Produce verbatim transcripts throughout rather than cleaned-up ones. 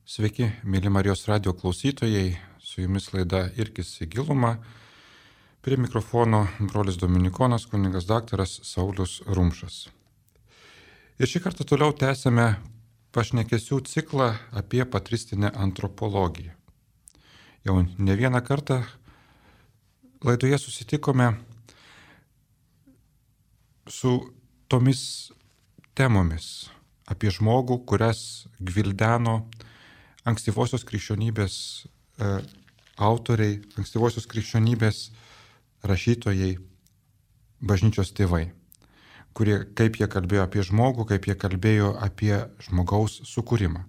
Sveiki, mėly Marijos radio klausytojai, su jumis laida Irkis į gilumą. Prie mikrofono brolis Dominikonas, kunigas daktaras Saulius Rumšas. Ir šį kartą toliau tęsime pašnekesių ciklą apie patristinę antropologiją. Jau ne vieną kartą laidoje susitikome su tomis temomis apie žmogų, kurias gvildeno ankstyvosios krikščionybės e, autoriai, ankstyvosios krikščionybės rašytojai, bažnyčios tėvai, kurie, kaip jie kalbėjo apie žmogų, kaip jie kalbėjo apie žmogaus sukūrimą.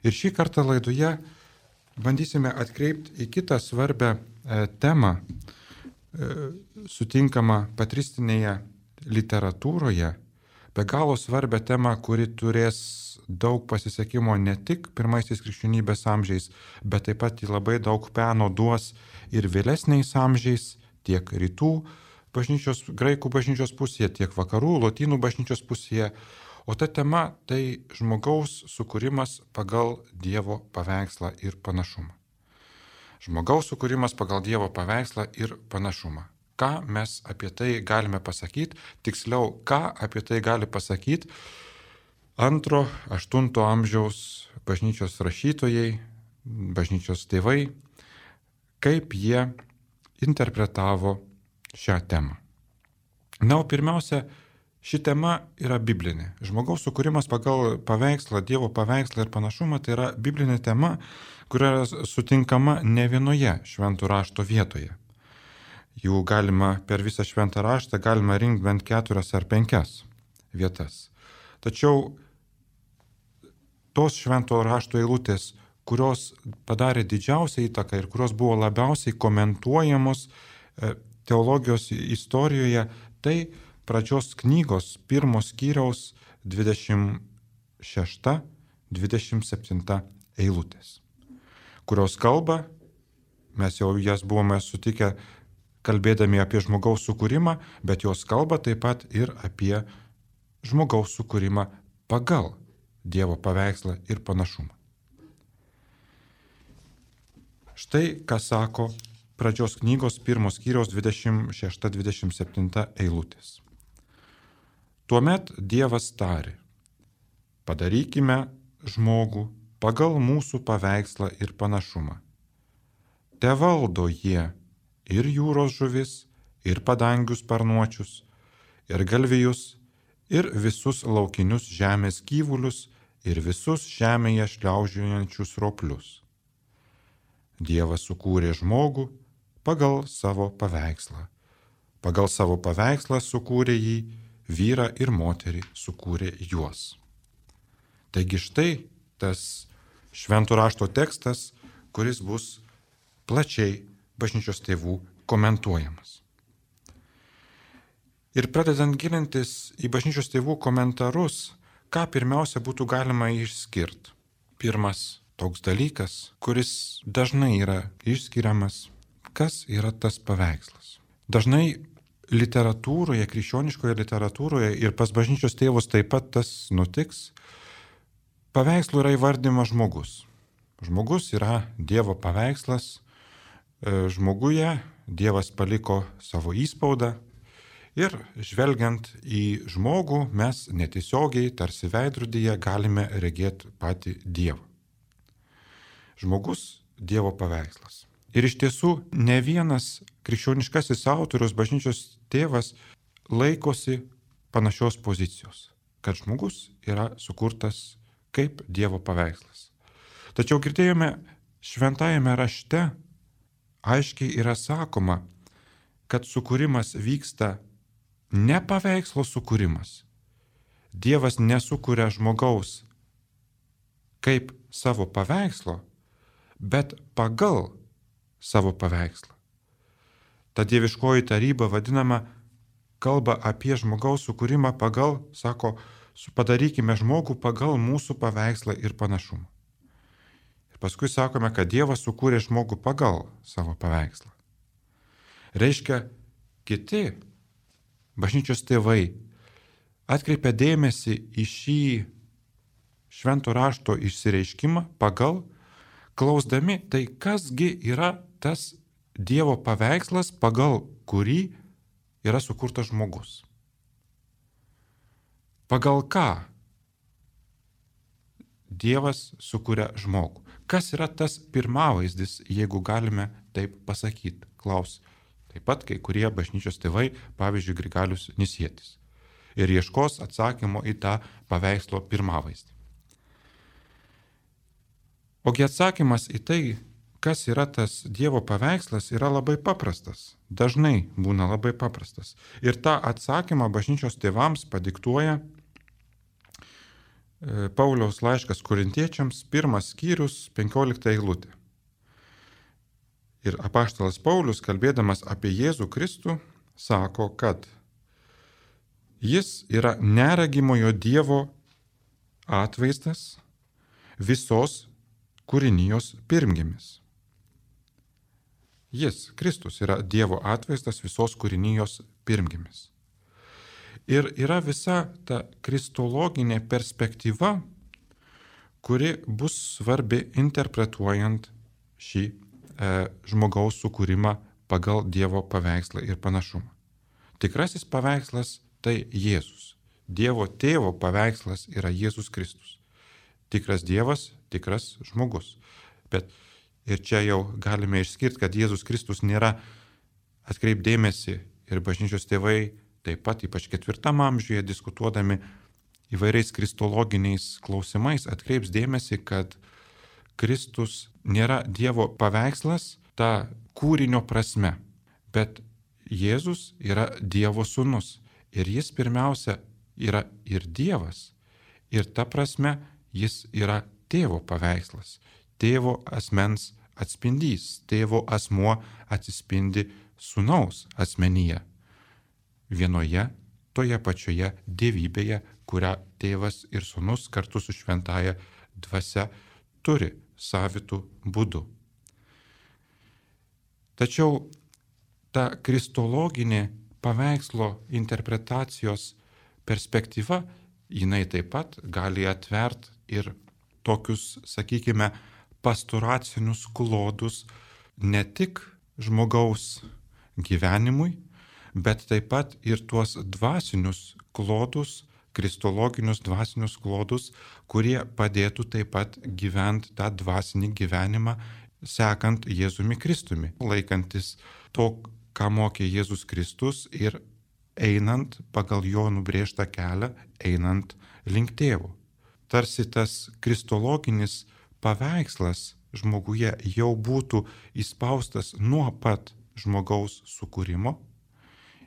Ir šį kartą laidoje bandysime atkreipti į kitą svarbę e, temą, e, sutinkamą patristinėje literatūroje, be galo svarbę temą, kuri turės daug pasisekimo ne tik pirmaisiais krikščionybės amžiais, bet taip pat labai daug peno duos ir vėlesniais amžiais, tiek rytų bažnyčios, graikų bažnyčios pusėje, tiek vakarų, lotynų bažnyčios pusėje. O ta tema tai žmogaus sukūrimas pagal Dievo paveikslą ir panašumą. Žmogaus sukūrimas pagal Dievo paveikslą ir panašumą. Ką mes apie tai galime pasakyti, tiksliau, ką apie tai gali pasakyti antro, aštunto amžiaus bažnyčios rašytojai, bažnyčios tėvai, kaip jie interpretavo šią temą. Na, o pirmiausia, ši tema yra biblinė. Žmogaus sukūrimas pagal paveikslą, Dievo paveikslą ir panašumą tai yra biblinė tema, kuri yra sutinkama ne vienoje šventų rašto vietoje. Jų galima per visą šventą raštą galima rinkti bent keturias ar penkias vietas. Tačiau tos švento rašto eilutės, kurios padarė didžiausią įtaką ir kurios buvo labiausiai komentuojamos teologijos istorijoje, tai pradžios knygos pirmos skyriaus dvidešimt šešta dvidešimt septinta eilutės, kurios kalba, mes jau jas buvome sutikę kalbėdami apie žmogaus sukūrimą, bet jos kalba taip pat ir apie žmogaus sukūrimą pagal Dievo paveikslą ir panašumą. Štai ką sako pradžios knygos pirmos skyriaus dvidešimt šešta dvidešimt septinta eilutės. Tuomet Dievas tarė: padarykime žmogų pagal mūsų paveikslą ir panašumą. Tevaldo jie ir jūros žuvis, ir padangių sparnuočius, ir galvijus, ir visus laukinius žemės gyvulius, ir visus žemėje šliaužiojančius roplius. Dievas sukūrė žmogų pagal savo paveikslą. Pagal savo paveikslą sukūrė jį, vyrą ir moterį sukūrė juos. Taigi štai tas švento rašto tekstas, kuris bus plačiai bažnyčios tėvų komentuojamas. Ir pradedant gilintis į bažnyčios tėvų komentarus, ką pirmiausia būtų galima išskirti. Pirmas toks dalykas, kuris dažnai yra išskiriamas, kas yra tas paveikslas. Dažnai literatūroje, krikščioniškoje literatūroje ir pas bažnyčios tėvus taip pat tas nutiks, paveikslu yra įvardymas žmogus. Žmogus yra Dievo paveikslas. Žmoguje Dievas paliko savo įspaudą ir žvelgiant į žmogų mes netiesiogiai, tarsi veidrodyje, galime regėti patį Dievą. Žmogus Dievo paveikslas. Ir iš tiesų ne vienas krikščioniškasis autorius, bažnyčios tėvas, laikosi panašios pozicijos, kad žmogus yra sukurtas kaip Dievo paveikslas. Tačiau girdėjome šventajame rašte, aiškiai yra sakoma, kad sukūrimas vyksta ne paveikslo sukūrimas. Dievas nesukuria žmogaus kaip savo paveikslo, bet pagal savo paveikslą. Ta dieviškoji taryba vadinama kalba apie žmogaus sukūrimą pagal, sako, padarykime žmogų pagal mūsų paveikslą ir panašumą. Paskui sakome, kad Dievas sukūrė žmogų pagal savo paveikslą. Reiškia, kiti bažnyčios tėvai atkreipia dėmesį į šį švento rašto išsireiškimą pagal, klausdami, tai kasgi yra tas Dievo paveikslas, pagal kurį yra sukurtas žmogus. Pagal ką Dievas sukuria žmogų. Kas yra tas pirmavaizdis, jeigu galime taip pasakyti, klaus. Taip pat kai kurie bažnyčios tėvai, pavyzdžiui, Grigalius Nisietis. Ir ieškos atsakymo į tą paveikslo pirmavaizdį. Ogi atsakymas į tai, kas yra tas Dievo paveikslas, yra labai paprastas. Dažnai būna labai paprastas. Ir tą atsakymą bažnyčios tėvams padiktuoja Pauliaus laiškas Korintiečiams, pirmas skyrius, penkiolikta eilutė. Ir apaštalas Paulius, kalbėdamas apie Jėzų Kristų, sako, kad jis yra neregimojo Dievo atvaizdas, visos kūrinijos pirmgimis. Jis, Kristus, yra Dievo atvaizdas, visos kūrinijos pirmgimis. Ir yra visa ta kristologinė perspektyva, kuri bus svarbi interpretuojant šį e, žmogaus sukūrimą pagal Dievo paveikslą ir panašumą. Tikrasis paveikslas tai Jėzus. Dievo tėvo paveikslas yra Jėzus Kristus. Tikras Dievas, tikras žmogus. Bet ir čia jau galime išskirti, kad Jėzus Kristus nėra, atkreipdėmėsi ir bažnyčios tėvai, taip pat ypač ketvirtam amžiuje diskutuodami įvairiais kristologiniais klausimais atkreips dėmesį, kad Kristus nėra Dievo paveikslas ta kūrinio prasme, bet Jėzus yra Dievo sūnus ir jis pirmiausia yra ir Dievas ir ta prasme jis yra tėvo paveikslas, tėvo asmens atspindys, tėvo asmuo atsispindi sūnaus asmenyje. Vienoje, toje pačioje dievybėje, kurią tėvas ir sūnus kartu su šventąja dvasia turi savitų būdų. Tačiau ta kristologinė paveikslo interpretacijos perspektyva, jinai taip pat gali atvert ir tokius, sakykime, pastoracinius klodus ne tik žmogaus gyvenimui, bet taip pat ir tuos dvasinius klodus, kristologinius dvasinius klodus, kurie padėtų taip pat gyventi tą dvasinį gyvenimą, sekant Jėzumi Kristumi, laikantis to, ką mokė Jėzus Kristus ir einant pagal jo nubrėžtą kelią, einant link tėvo. Tarsi tas kristologinis paveikslas žmoguje jau būtų įspaustas nuo pat žmogaus sukūrimo,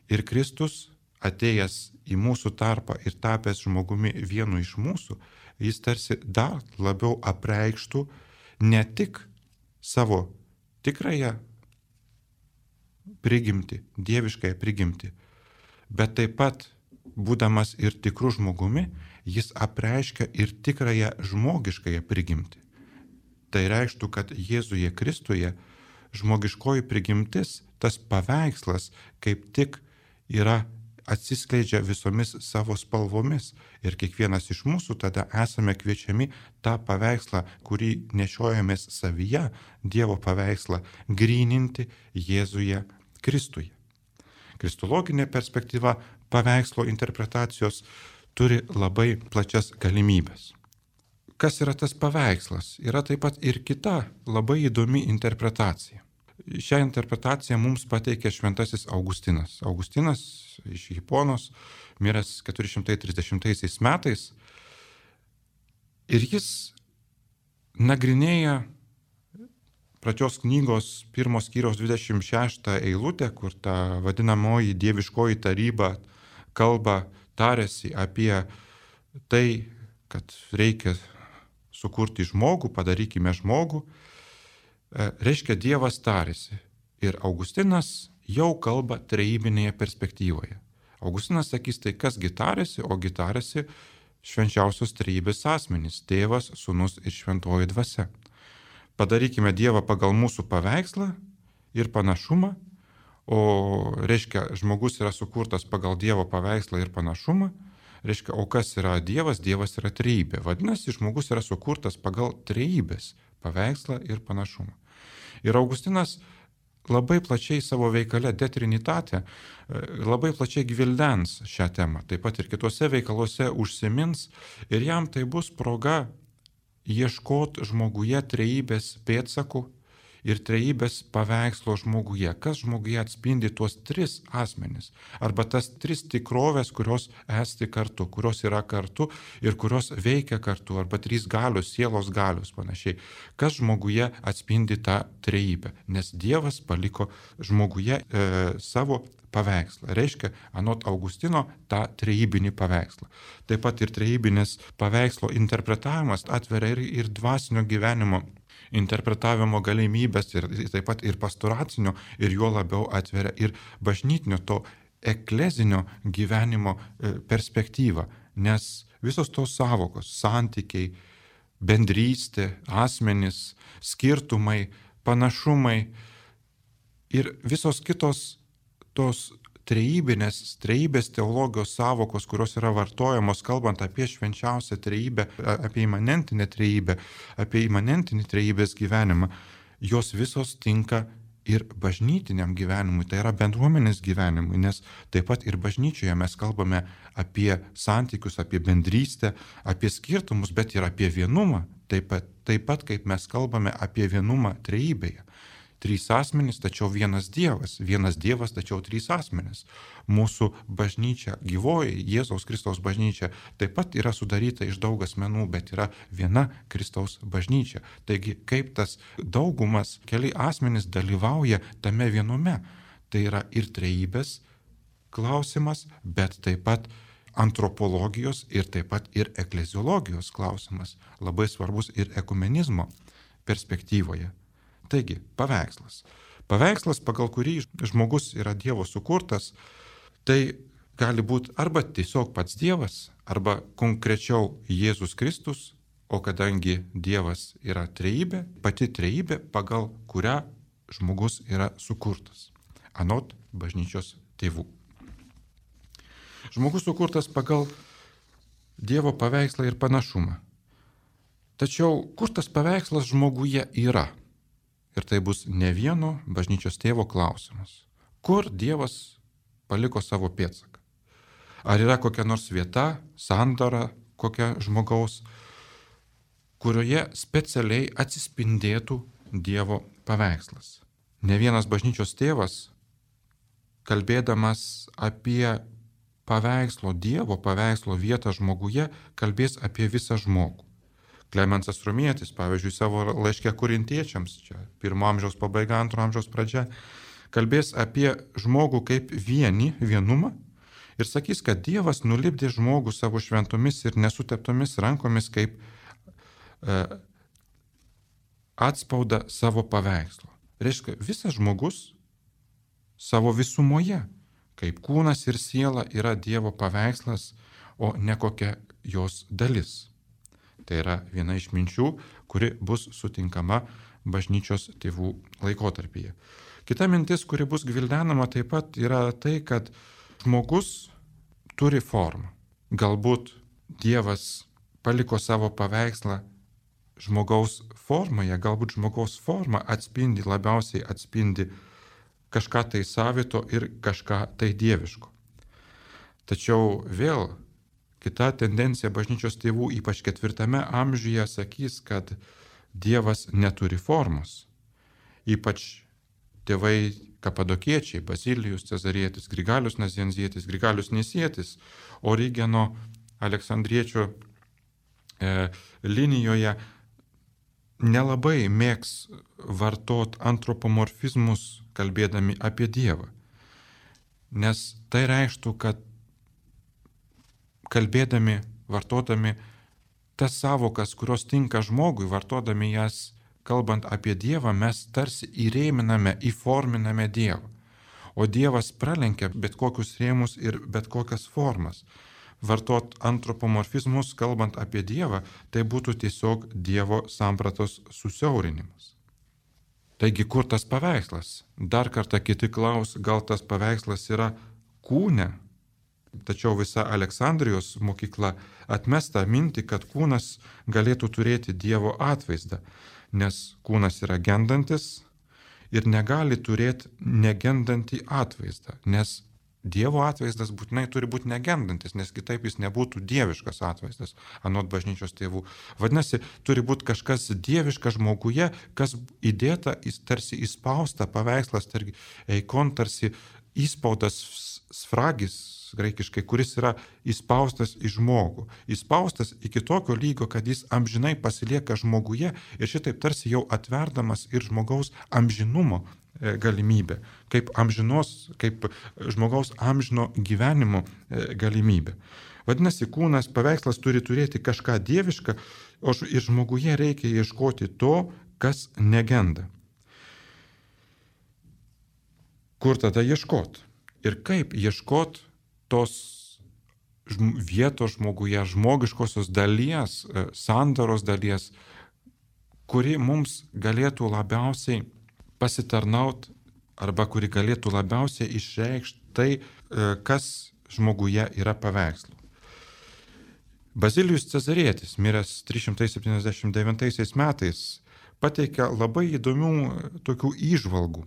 ir Kristus, atėjęs į mūsų tarpą ir tapęs žmogumi vienu iš mūsų, jis tarsi dar labiau apreikštų ne tik savo tikrąją prigimtį, dieviškąją prigimtį, bet taip pat, būdamas ir tikrų žmogumi, jis apreiškia ir tikrąją žmogiškąją prigimtį. Tai reikštų, kad Jėzuje Kristuje žmogiškoji prigimtis, tas paveikslas, kaip tik yra atsiskleidžia visomis savo spalvomis ir kiekvienas iš mūsų tada esame kviečiami tą paveikslą, kurį nešiojamės savyje, Dievo paveikslą, gryninti Jėzuje Kristuje. Kristologinė perspektyva paveikslo interpretacijos turi labai plačias galimybės. Kas yra tas paveikslas? Yra taip pat ir kita labai įdomi interpretacija. Šią interpretaciją mums pateikė šventasis Augustinas. Augustinas iš Hiponos, miręs keturi šimtai trisdešimtaisiais metais. Ir jis nagrinėja pradžios knygos pirmos skyriaus dvidešimt šeštą eilutę, kur ta vadinamoji dieviškoji taryba kalba, tarėsi apie tai, kad reikia sukurti žmogų, padarykime žmogų. Reiškia, Dievas tarėsi. Ir Augustinas jau kalba trejybinėje perspektyvoje. Augustinas sakys, tai kasgi tarėsi, ogi tarėsi švenčiausios trejybės asmenys – tėvas, sūnus ir šventoji dvasia. Padarykime Dievą pagal mūsų paveikslą ir panašumą, o reiškia, žmogus yra sukurtas pagal Dievo paveikslą ir panašumą, Reiškia, o kas yra Dievas? Dievas yra trejybė. Vadinasi, žmogus yra sukurtas pagal trejybės paveikslą ir panašumą. Ir Augustinas labai plačiai savo veikale De Trinitate, labai plačiai gvildens šią temą. Taip pat ir kitose veikaluose užsimins ir jam tai bus proga ieškoti žmoguje trejybės pėdsakų ir trejybės paveikslo žmoguje. Kas žmoguje atspindi tuos tris asmenis arba tas tris tikrovės, kurios esti kartu, kurios yra kartu ir kurios veikia kartu, arba trys galios, sielos galios panašiai. Kas žmoguje atspindi tą trejybę, nes Dievas paliko žmoguje e, savo paveikslą. Reiškia, anot Augustino, tą trejybinį paveikslą. Taip pat ir trejybinės paveikslo interpretavimas atveria ir, ir dvasinio gyvenimo interpretavimo galimybės ir taip pat ir pastoracinio ir juo labiau atveria ir bažnytinio to eklezinio gyvenimo perspektyvą, nes visos tos savokos, santykiai, bendrystė, asmenys, skirtumai, panašumai ir visos kitos tos trejybinės, trejybės teologijos savokos, kurios yra vartojamos, kalbant apie švenčiausią trejybę, apie imanentinę trejybę, apie imanentinį trejybės gyvenimą, jos visos tinka ir bažnytiniam gyvenimui, tai yra bendruomenės gyvenimui, nes taip pat ir bažnyčioje mes kalbame apie santykius, apie bendrystę, apie skirtumus, bet ir apie vienumą, taip pat, taip pat kaip mes kalbame apie vienumą trejybėje. Trys asmenys, tačiau vienas Dievas. Vienas Dievas, tačiau trys asmenys. Mūsų bažnyčia, gyvoji Jėzaus Kristaus bažnyčia, taip pat yra sudaryta iš daug asmenų, bet yra viena Kristaus bažnyčia. Taigi, kaip tas daugumas, keli asmenys dalyvauja tame vienume. Tai yra ir trejybės klausimas, bet taip pat antropologijos ir taip pat ir ekleziologijos klausimas. Labai svarbus ir ekumenizmo perspektyvoje. Taigi, paveikslas. Paveikslas, pagal kurį žmogus yra Dievo sukurtas, tai gali būti arba tiesiog pats Dievas, arba konkrečiau Jėzus Kristus, o kadangi Dievas yra trejybė, pati trejybė, pagal kurią žmogus yra sukurtas, anot bažnyčios tėvų. Žmogus sukurtas pagal Dievo paveikslą ir panašumą. Tačiau kur tas paveikslas žmoguje yra? Ir tai bus ne vieno bažnyčios tėvo klausimas. Kur Dievas paliko savo pėdsaką? Ar yra kokia nors vieta, sandara kokia žmogaus, kurioje specialiai atsispindėtų Dievo paveikslas? Ne vienas bažnyčios tėvas, kalbėdamas apie paveikslo Dievo paveikslo vietą žmoguje, kalbės apie visą žmogų. Klemensas Romietis, pavyzdžiui, savo laiške korintiečiams, čia pirmo amžiaus pabaiga, antro amžiaus pradžia, kalbės apie žmogų kaip vienį, vienumą ir sakys, kad Dievas nulipdė žmogų savo šventomis ir nesuteptomis rankomis kaip e, atspaudą savo paveikslo. Reiškia, visas žmogus savo visumoje, kaip kūnas ir siela, yra Dievo paveikslas, o ne kokia jos dalis. Tai yra viena iš minčių, kuri bus sutinkama bažnyčios tėvų laikotarpyje. Kita mintis, kuri bus gvildenama taip pat, yra tai, kad žmogus turi formą. Galbūt Dievas paliko savo paveikslą žmogaus formoje, galbūt žmogaus forma atspindi, labiausiai atspindi kažką tai savito ir kažką tai dieviško. Tačiau vėl kita tendencija bažnyčios tėvų, ypač ketvirtame amžiuje, sakys, kad Dievas neturi formos. Ypač tėvai kapadokiečiai, Bazilijus Cezarietis, Grigalius Nazianzietis, Grigalius Nisietis, Origeno Aleksandriečio e, linijoje nelabai mėgs vartot antropomorfizmus, kalbėdami apie Dievą. Nes tai reikštų, kad kalbėdami, vartodami tas savokas, kurios tinka žmogui, vartodami jas, kalbant apie Dievą, mes tarsi įrėminame, įforminame Dievą. O Dievas pralenkia bet kokius rėmus ir bet kokias formas. Vartot antropomorfizmus, kalbant apie Dievą, tai būtų tiesiog Dievo sampratos susiaurinimas. Taigi, kur tas paveikslas? Dar kartą kiti klaus, gal tas paveikslas yra kūne? Tačiau visa Aleksandrijos mokykla atmesta mintį, kad kūnas galėtų turėti Dievo atvaizdą, nes kūnas yra gendantis ir negali turėti negendantį atvaizdą, nes Dievo atvaizdas būtinai turi būti negendantis, nes kitaip jis nebūtų dieviškas atvaizdas, anot bažnyčios tėvų. Vadinasi, turi būti kažkas dieviška žmoguje, kas įdėta, tarsi įspausta paveikslas, tarsi eikon, tarsi įspaudas sfragis, graikiškai, kuris yra įspaustas į žmogų. Įspaustas iki tokio lygio, kad jis amžinai pasilieka žmoguje ir šitaip tarsi jau atverdamas ir žmogaus amžinumo galimybė, kaip amžinos, kaip žmogaus amžino gyvenimo galimybė. Vadinasi, kūnas, paveikslas turi turėti kažką dievišką, o ir žmoguje reikia ieškoti to, kas negenda. Kur tada ieškot? Ir kaip ieškot tos vietos žmoguje, žmogiškosios dalies, sandaros dalies, kuri mums galėtų labiausiai pasitarnaut arba kuri galėtų labiausiai išreikšti tai, kas žmoguje yra paveikslų. Bazilijus Cezarietis, miręs trys šimtai septyniasdešimt devintaisiais metais, pateikia labai įdomių tokių įžvalgų.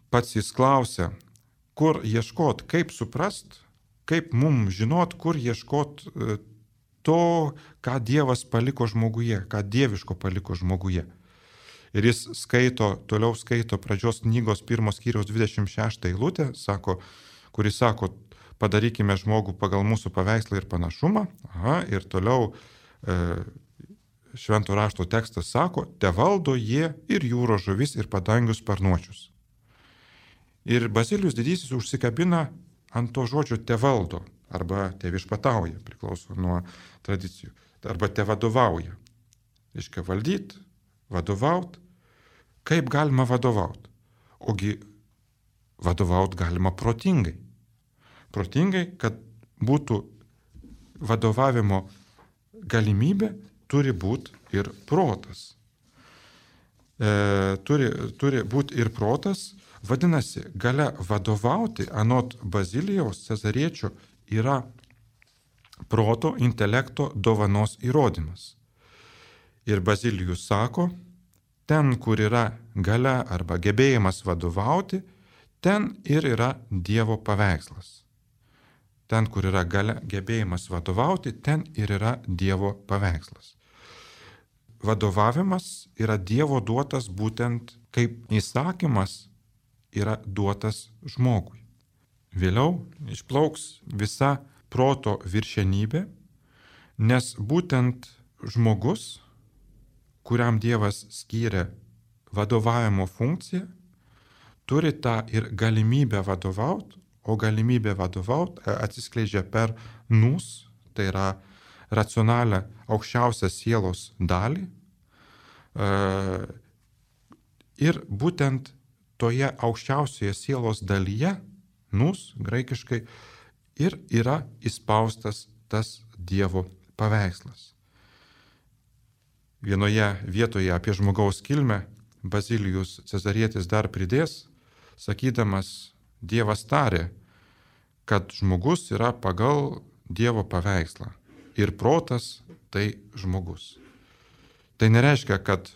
Pats jis klausia, kur ieškot, kaip suprast, kaip mums žinot, kur ieškot to, ką Dievas paliko žmoguje, ką dieviško paliko žmoguje. Ir jis skaito, toliau skaito pradžios knygos pirmos skyriaus dvidešimt šeštą eilutę, sako, kuris sako, padarykime žmogų pagal mūsų paveikslą ir panašumą. Aha, ir toliau e, švento rašto tekstas sako, te valdo jie ir jūros žuvis ir padangių sparnuočius. Ir Bazilijus didysis užsikabina ant to žodžio te valdo, arba te viešpatauja, priklauso nuo tradicijų, arba te vadovauja. Reiškia valdyt, vadovaut. Kaip galima vadovaut? Ogi vadovaut galima protingai. Protingai, kad būtų vadovavimo galimybė, turi būti ir protas. E, turi, turi būti ir protas. Vadinasi, galia vadovauti, anot Bazilijaus Cezariečio, yra proto, intelekto dovanos įrodymas. Ir Bazilijus sako, ten, kur yra galia arba gebėjimas vadovauti, ten ir yra Dievo paveikslas. Ten, kur yra galia gebėjimas vadovauti, ten ir yra Dievo paveikslas. Vadovavimas yra Dievo duotas būtent kaip įsakymas yra duotas žmogui. Vėliau išplauks visa proto viršenybė, nes būtent žmogus, kuriam Dievas skyrė vadovavimo funkciją, turi tą ir galimybę vadovauti, o galimybė vadovauti atsiskleidžia per nus, tai yra racionalią aukščiausią sielos dalį. Ir būtent toje aukščiausioje sielos dalyje, nus, graikiškai, ir yra įspaustas tas Dievo paveikslas. Vienoje vietoje apie žmogaus kilmę Bazilijus Cezarietis dar pridės, sakydamas, Dievas tarė, kad žmogus yra pagal Dievo paveikslą ir protas tai žmogus. Tai nereiškia, kad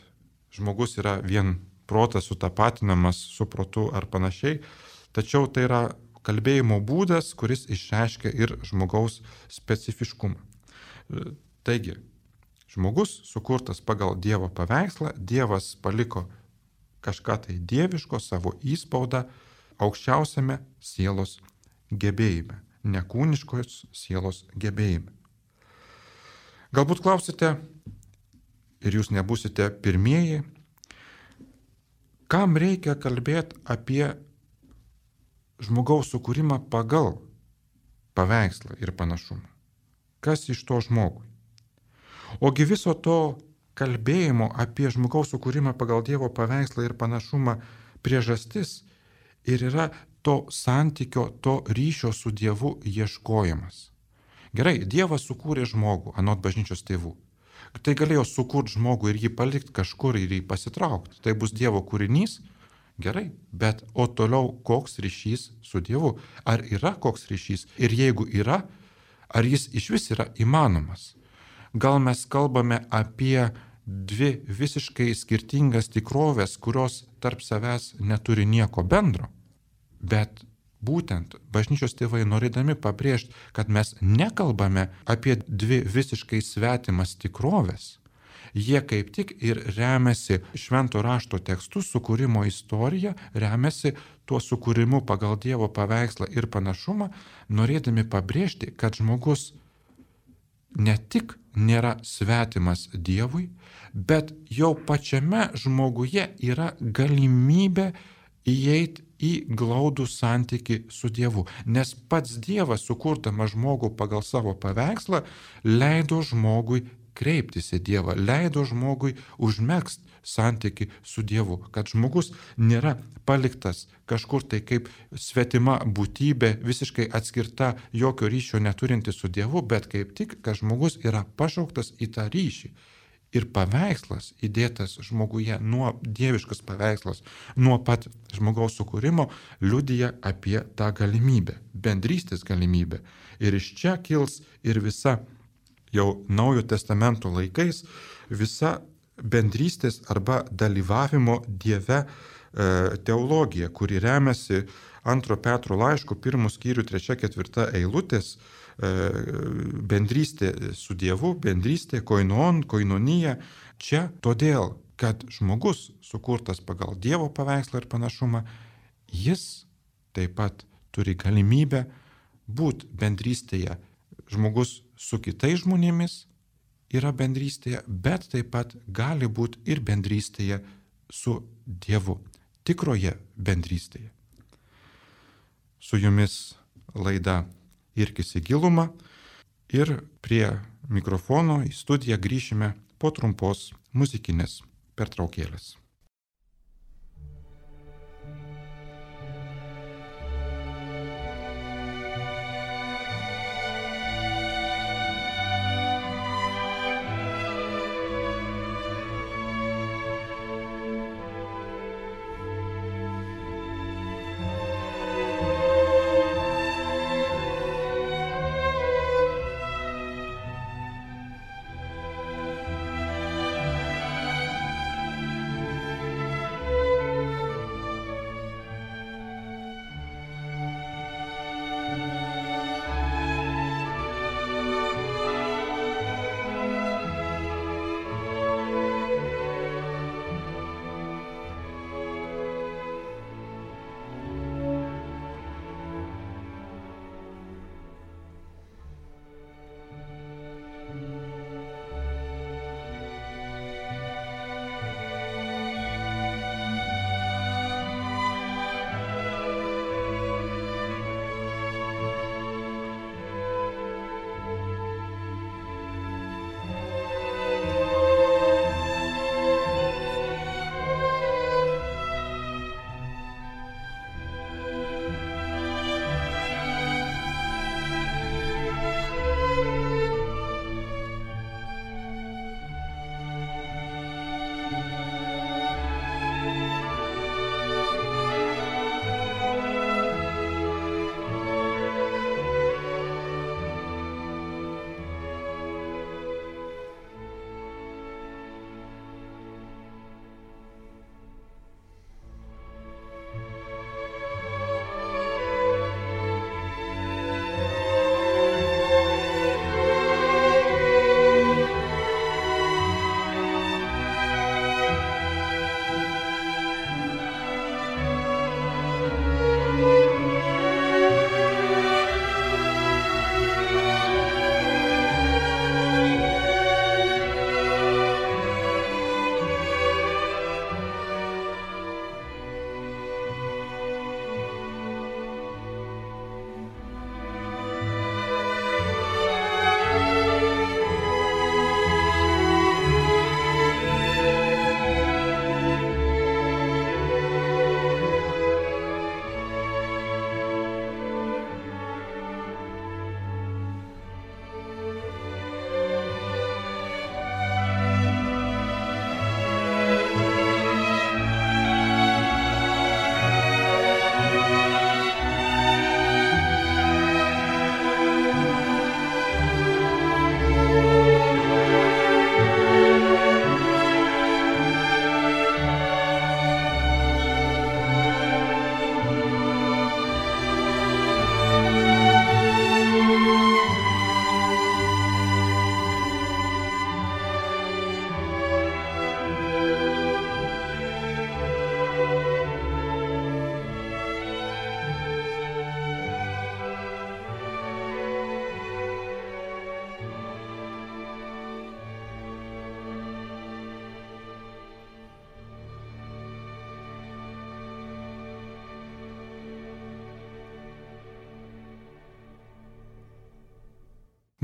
žmogus yra vien protas sutapatinamas su protu ar panašiai, tačiau tai yra kalbėjimo būdas, kuris išreiškia ir žmogaus specifiškumą. Taigi, žmogus sukurtas pagal Dievo paveikslą, Dievas paliko kažką tai dieviško, savo įspaudą aukščiausiame sielos gebėjime, nekūniškos sielos gebėjime. Galbūt klausite, ir jūs nebūsite pirmieji, kam reikia kalbėti apie žmogaus sukūrimą pagal paveikslą ir panašumą? Kas iš to žmogui? Ogi viso to kalbėjimo apie žmogaus sukūrimą pagal Dievo paveikslą ir panašumą priežastis ir yra to santykio, to ryšio su Dievu ieškojimas. Gerai, Dievas sukūrė žmogų, anot bažnyčios tėvų. Tai galėjo sukurti žmogų ir jį palikti kažkur ir jį pasitraukti. Tai bus Dievo kūrinys Gerai, bet o toliau koks ryšys su Dievu? Ar yra koks ryšys? Ir jeigu yra, ar jis iš vis yra įmanomas? Gal mes kalbame apie dvi visiškai skirtingas tikrovės, kurios tarp savęs neturi nieko bendro? Bet būtent bažnyčios tėvai norėdami pabrėžti, kad mes nekalbame apie dvi visiškai svetimas tikrovės, jie kaip tik ir remiasi švento rašto tekstų sukūrimo istorija, remiasi tuo sukūrimu pagal Dievo paveikslą ir panašumą, norėdami pabrėžti, kad žmogus ne tik nėra svetimas Dievui, bet jau pačiame žmoguje yra galimybė įeiti į glaudų santyki su Dievu. Nes pats Dievas, sukurdamas žmogų pagal savo paveikslą, leido žmogui kreiptis į Dievą, leido žmogui užmegzti santyki su Dievu, kad žmogus nėra paliktas kažkur tai kaip svetima būtybė, visiškai atskirta, jokio ryšio neturinti su Dievu, bet kaip tik, kad žmogus yra pašauktas į tą ryšį. Ir paveikslas įdėtas žmoguje, nuo dieviškas paveikslas, nuo pat žmogaus sukūrimo, liudija apie tą galimybę, bendrystės galimybę. Ir iš čia kils ir visa jau Naujojo testamento laikais, visa bendrystės arba dalyvavimo Dieve teologija, kuri remiasi antro Petro laiško pirmų skyrių trečia ketvirta eilutės, bendrystė su Dievu, bendrystė, koinon, koinonija. Čia todėl, kad žmogus sukurtas pagal Dievo paveikslą ir panašumą, jis taip pat turi galimybę būti bendrystėje. Žmogus su kitais žmonėmis yra bendrystėje, bet taip pat gali būti ir bendrystėje su Dievu, tikroje bendrystėje. Su jumis laida Irkis į gilumą ir prie mikrofono į studiją grįšime po trumpos muzikinės pertraukėlės.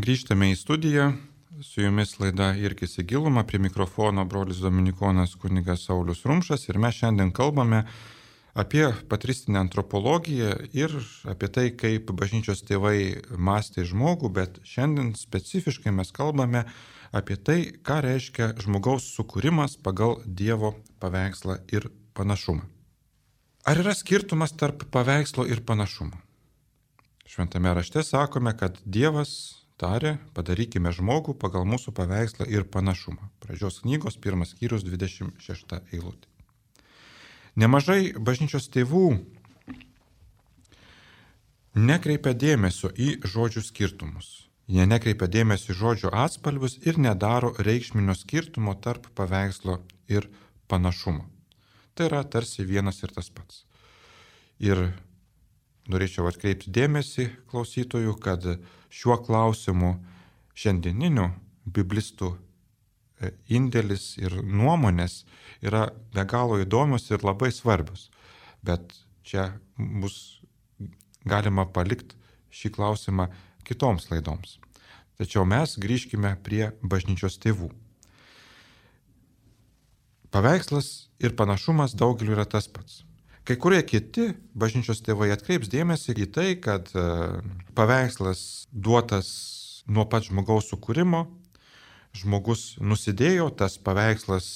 Grįžtame į studiją, su jumis laida Irkis į gilumą, prie mikrofono brolis Dominikonas kunigas Saulius Rumšas ir mes šiandien kalbame apie patristinę antropologiją ir apie tai, kaip bažnyčios tėvai mąstė žmogų, bet šiandien specifiškai mes kalbame apie tai, ką reiškia žmogaus sukūrimas pagal Dievo paveikslą ir panašumą. Ar yra skirtumas tarp paveikslo ir panašumo? Šventame rašte sakome, kad Dievas tarė, padarykime žmogų pagal mūsų paveikslą ir panašumą. Pradžios knygos pirmas skyrius dvidešimt šešta eilutė. Nemažai bažnyčios tėvų nekreipia dėmesio į žodžių skirtumus. Jie nekreipia dėmesio į žodžių atspalvius ir nedaro reikšminio skirtumo tarp paveikslo ir panašumo. Tai yra tarsi vienas ir tas pats. Ir norėčiau atkreipti dėmesį klausytojų, kad šiuo klausimu šiandieninių biblistų indėlis ir nuomonės yra be galo įdomios ir labai svarbios. Bet čia bus galima palikti šį klausimą kitoms laidoms. Tačiau mes grįžkime prie bažnyčios tėvų. Paveikslas ir panašumas daugeliu yra tas pats. Kai kurie kiti bažnyčios tėvai atkreips dėmesį į tai, kad paveikslas duotas nuo pat žmogaus sukūrimo, žmogus nusidėjo, tas paveikslas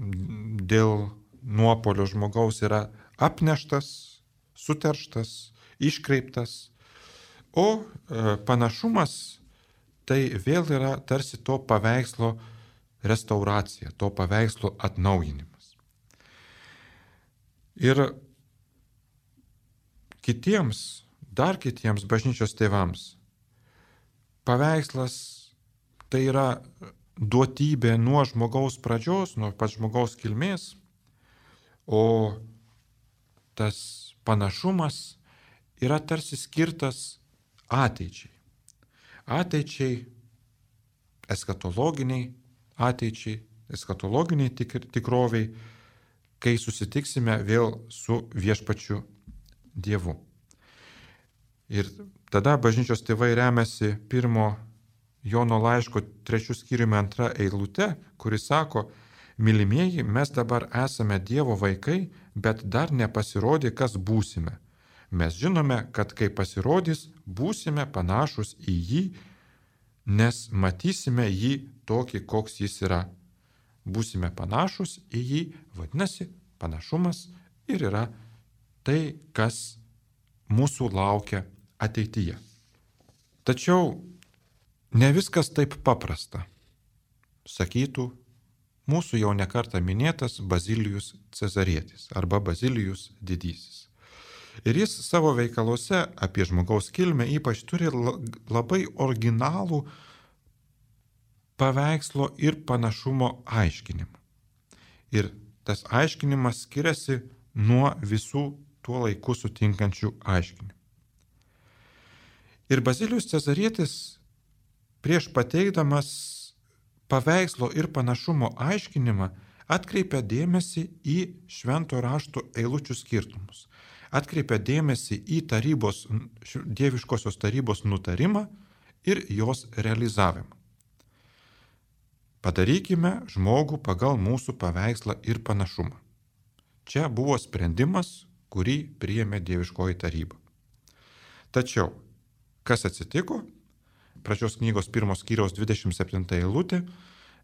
dėl nuopolio žmogaus yra apneštas, suterštas, iškreiptas, o panašumas tai vėl yra tarsi to paveikslo restauracija, to paveikslo atnaujinimas. Ir kitiems, dar kitiems bažnyčios tėvams, paveikslas tai yra duotybė nuo žmogaus pradžios, nuo pat žmogaus kilmės, o tas panašumas yra tarsi skirtas ateičiai. Ateičiai, eskatologiniai ateičiai, eskatologiniai tik, tikroviai, kai susitiksime vėl su viešpačiu Dievu. Ir tada bažnyčios tėvai remiasi pirmo Jono laiško trečių skyriumi antra eilute, kuris sako, mylimieji, mes dabar esame Dievo vaikai, bet dar nepasirodė, kas būsime. Mes žinome, kad kai pasirodys, būsime panašus į jį, nes matysime jį tokį, koks jis yra. Būsime panašus į jį, vadinasi, panašumas ir yra tai, kas mūsų laukia ateityje. Tačiau ne viskas taip paprasta, sakytų mūsų jau nekartą minėtas Bazilijus Cezarietis arba Bazilijus Didysis. Ir jis savo veikaluose apie žmogaus kilmę ypač turi labai originalų paveikslo ir panašumo aiškinimą. Ir tas aiškinimas skiriasi nuo visų tuo laiku sutinkančių aiškinimų. Ir Bazilijus Cezarietis prieš pateikdamas paveikslo ir panašumo aiškinimą atkreipia dėmesį į švento rašto eilučių skirtumus. Atkreipia dėmesį į tarybos, dieviškosios tarybos nutarimą ir jos realizavimą. Padarykime žmogų pagal mūsų paveikslą ir panašumą. Čia buvo sprendimas, kurį priėmė dieviškoji taryba. Tačiau, kas atsitiko? Pradžios knygos pirmos skyriaus dvidešimt septinta eilutė.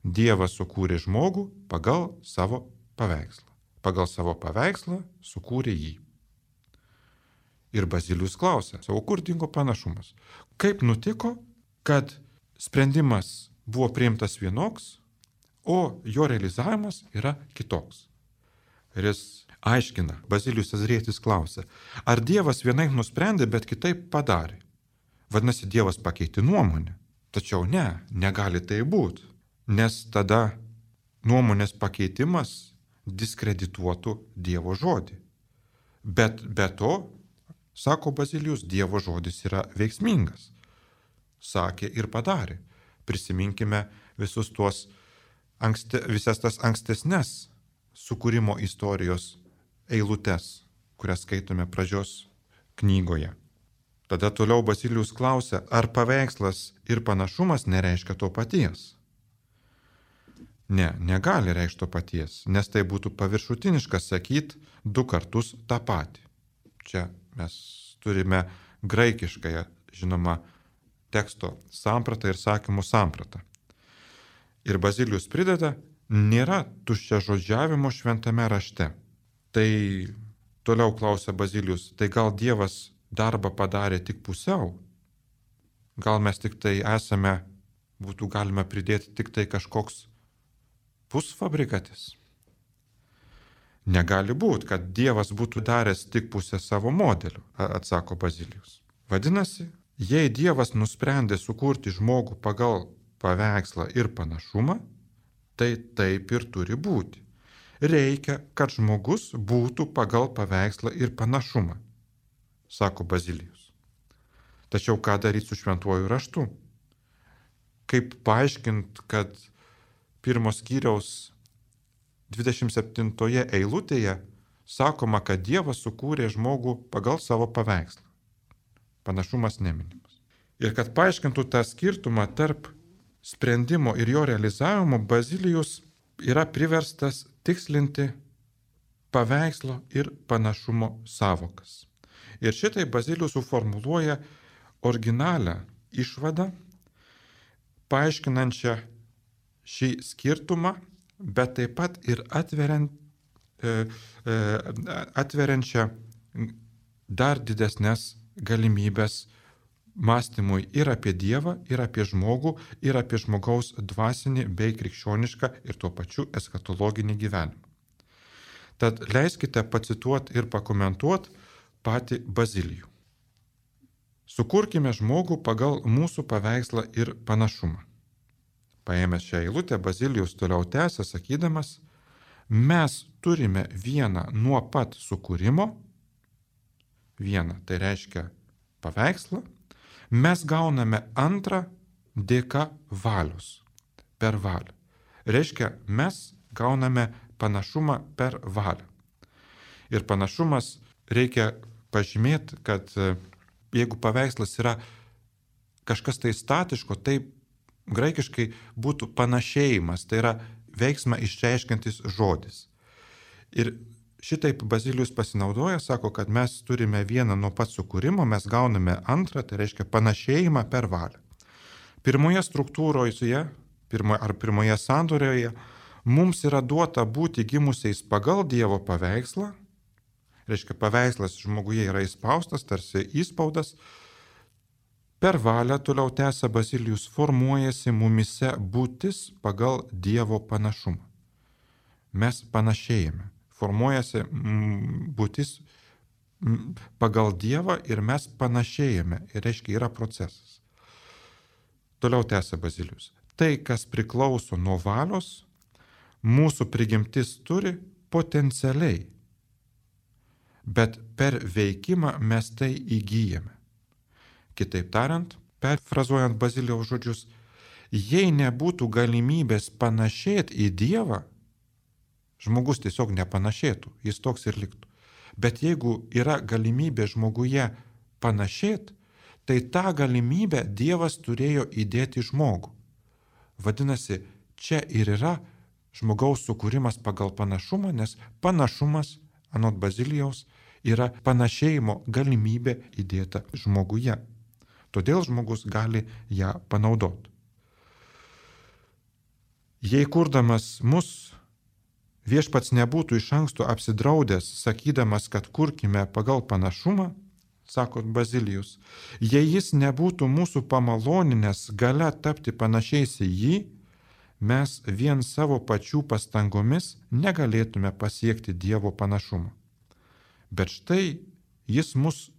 Dievas sukūrė žmogų pagal savo paveikslą. Pagal savo paveikslą sukūrė jį. Ir Bazilijus klausia, o kur dingo panašumas? Kaip nutiko, kad sprendimas buvo priimtas vienoks, o jo realizavimas yra kitoks? Ir jis aiškina, Bazilijus Cezarietis klausia, ar Dievas vienaip nusprendė, bet kitaip padarė? Vadinasi, Dievas pakeitė nuomonę. Tačiau ne, negali tai būti, nes tada nuomonės pakeitimas diskredituotų Dievo žodį. Bet be to, sako Bazilijus, Dievo žodis yra veiksmingas. Sakė ir padarė. Prisiminkime visus tuos ankste, visas tas ankstesnes sukūrimo istorijos eilutes, kurias skaitome pradžios knygoje. Tada toliau Bazilijus klausia, ar paveikslas ir panašumas nereiškia to paties? Ne, negali reikšti to paties, nes tai būtų paviršutiniška sakyti du kartus tą patį. Čia mes turime graikiškąją, žinoma, teksto sampratą ir sakymų sampratą. Ir Bazilijus prideda, nėra tuščiažodžiavimo šventame rašte. Tai toliau klausia Bazilijus, tai gal Dievas darbą padarė tik pusiau? Gal mes tik tai esame, būtų galima pridėti tik tai kažkoks pusfabrikatis? Negali būti, kad Dievas būtų daręs tik pusę savo modelių, atsako Bazilijus. Vadinasi, jei Dievas nusprendė sukurti žmogų pagal paveikslą ir panašumą, tai taip ir turi būti. Reikia, kad žmogus būtų pagal paveikslą ir panašumą, sako Bazilijus. Tačiau ką daryti su šventuoju raštu? Kaip paaiškinti, kad pirmos skyriaus dvidešimt septintoje eilutėje sakoma, kad Dievas sukūrė žmogų pagal savo paveikslą. Panašumas neminimas. Ir kad paaiškintų tą skirtumą tarp sprendimo ir jo realizavimo, Bazilijus yra priverstas tikslinti paveikslo ir panašumo savokas. Ir šitai Bazilijus suformuluoja originalią išvadą, paaiškinančią šį skirtumą, bet taip pat ir atveriant, e, e, atveriančią dar didesnės galimybės mąstymui ir apie Dievą, ir apie žmogų, ir apie žmogaus dvasinį bei krikščionišką ir tuo pačiu eskatologinį gyvenimą. Tad leiskite pacituoti ir pakomentuoti patį Bazilijų. Sukurkime žmogų pagal mūsų paveikslą ir panašumą. Paėmęs šią eilutę, Bazilijus toliau tęsia, sakydamas, mes turime vieną nuo pat sukūrimo, vieną, tai reiškia paveikslą, mes gauname antrą dėka valios, per valią. Reiškia, mes gauname panašumą per valią. Ir panašumas reikia pažymėti, kad jeigu paveikslas yra kažkas tai statiško, tai graikiškai būtų panašėjimas, tai yra veiksmą išreiškiantis žodis. Ir šitaip Bazilijus pasinaudoja, sako, kad mes turime vieną nuo pat sukūrimo, mes gauname antrą, tai reiškia panašėjimą per valią. Pirmoje struktūroje pirmo, ar pirmoje sandorioje mums yra duota būti gimusiais pagal Dievo paveikslą, reiškia paveikslas žmoguje yra įspaustas, tarsi įspaudas, per valią, toliau tęsia Bazilijus, formuojasi mumise būtis pagal Dievo panašumą. Mes panašėjame, formuojasi būtis pagal Dievą ir mes panašėjame, ir reiškia yra procesas. Toliau tęsia Bazilijus. Tai, kas priklauso nuo valios, mūsų prigimtis turi potencialiai, bet per veikimą mes tai įgyjame. Kitaip tariant, perfrazuojant Bazilijaus žodžius, jei nebūtų galimybės panašėti į Dievą, žmogus tiesiog nepanašėtų, jis toks ir liktų. Bet jeigu yra galimybė žmoguje panašėti, tai tą galimybę Dievas turėjo įdėti žmogų. Vadinasi, čia ir yra žmogaus sukūrimas pagal panašumą, nes panašumas, anot Bazilijaus, yra panašėjimo galimybė įdėta žmoguje. Todėl žmogus gali ją panaudoti. Jei kurdamas mus, viešpats nebūtų iš anksto apsidraudęs, sakydamas, kad kurkime pagal panašumą, sako Bazilijus, jei jis nebūtų mūsų pamaloninęs gale tapti panašiais į jį, mes vien savo pačių pastangomis negalėtume pasiekti Dievo panašumo. Bet štai jis mus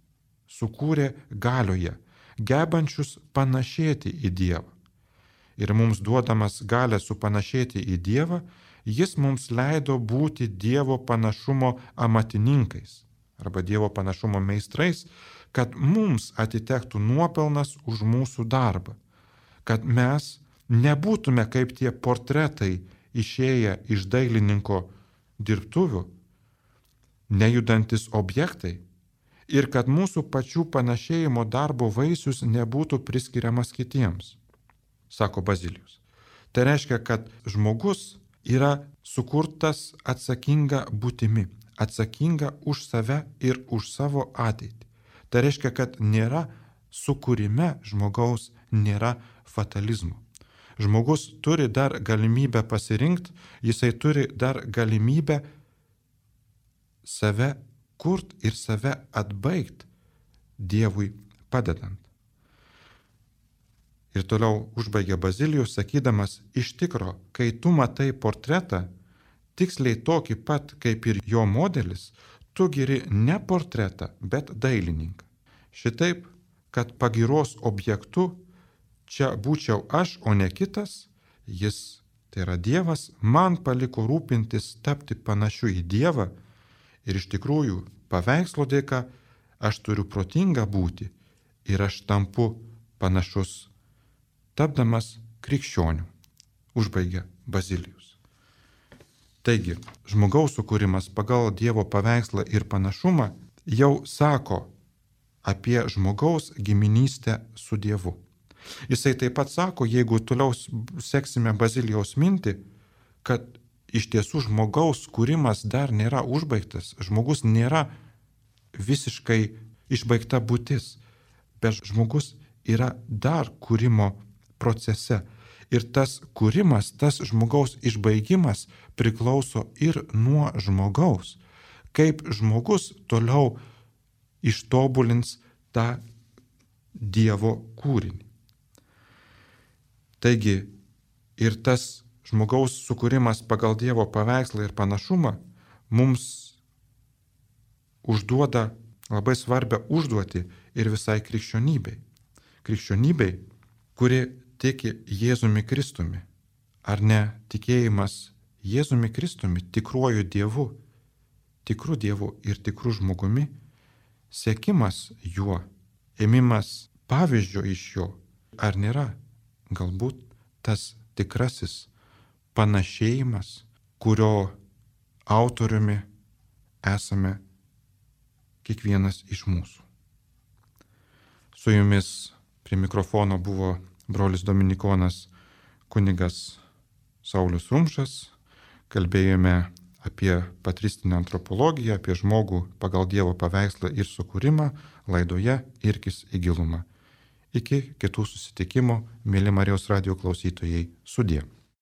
sukūrė galioje, gebančius panašėti į Dievą. Ir mums duodamas galę supanašėti į Dievą, jis mums leido būti Dievo panašumo amatininkais arba Dievo panašumo meistrais, kad mums atitektų nuopelnas už mūsų darbą, kad mes nebūtume kaip tie portretai išėję iš dailininko dirbtuvių, nejudantis objektai, ir kad mūsų pačių panašėjimo darbo vaisius nebūtų priskiriamas kitiems, sako Bazilijus. Tai reiškia, kad žmogus yra sukurtas atsakinga būtimi, atsakinga už save ir už savo ateitį. Tai reiškia, kad nėra sukūrime žmogaus, nėra fatalizmo. Žmogus turi dar galimybę pasirinkti, jisai turi dar galimybę save kurt ir save atbaigti Dievui padedant. Ir toliau užbaigia Bazilijus, sakydamas, iš tikro, kai tu matai portretą, tiksliai tokį pat kaip ir jo modelis, tu giri ne portretą, bet dailininką. Šitaip, kad pagyros objektu čia būčiau aš, o ne kitas, jis, tai yra Dievas, man paliko rūpintis tapti panašiu į Dievą ir iš tikrųjų paveikslo dėka aš turiu protingą būti ir aš tampu panašus, tapdamas krikščioniu, užbaigia Bazilijus. Taigi, žmogaus sukūrimas pagal Dievo paveikslą ir panašumą jau sako apie žmogaus giminystę su Dievu. Jisai taip pat sako, jeigu toliau seksime Bazilijaus mintį, kad iš tiesų žmogaus kūrimas dar nėra užbaigtas, žmogus nėra visiškai išbaigta būtis, bet žmogus yra dar kūrimo procese. Ir tas kūrimas, tas žmogaus išbaigimas priklauso ir nuo žmogaus. Kaip žmogus toliau ištobulins tą Dievo kūrinį. Taigi ir tas žmogaus sukūrimas pagal Dievo paveikslą ir panašumą mums užduoda labai svarbią užduotį ir visai krikščionybei. Krikščionybei, kuri tiki Jėzumi Kristumi. Ar ne tikėjimas Jėzumi Kristumi, tikruoju Dievu, tikru Dievu ir tikru žmogumi, sekimas juo, ėmimas pavyzdžio iš jo, ar nėra galbūt tas tikrasis panašėjimas, kurio autoriumi esame kiekvienas iš mūsų. Su jumis prie mikrofono buvo brolis dominikonas kunigas Saulius Rumšas. Kalbėjome apie patristinę antropologiją, apie žmogų pagal Dievo paveikslą ir sukūrimą laidoje Irkis į gilumą. Iki kitų susitikimų, mėly Marijos radijo klausytojai, sudie.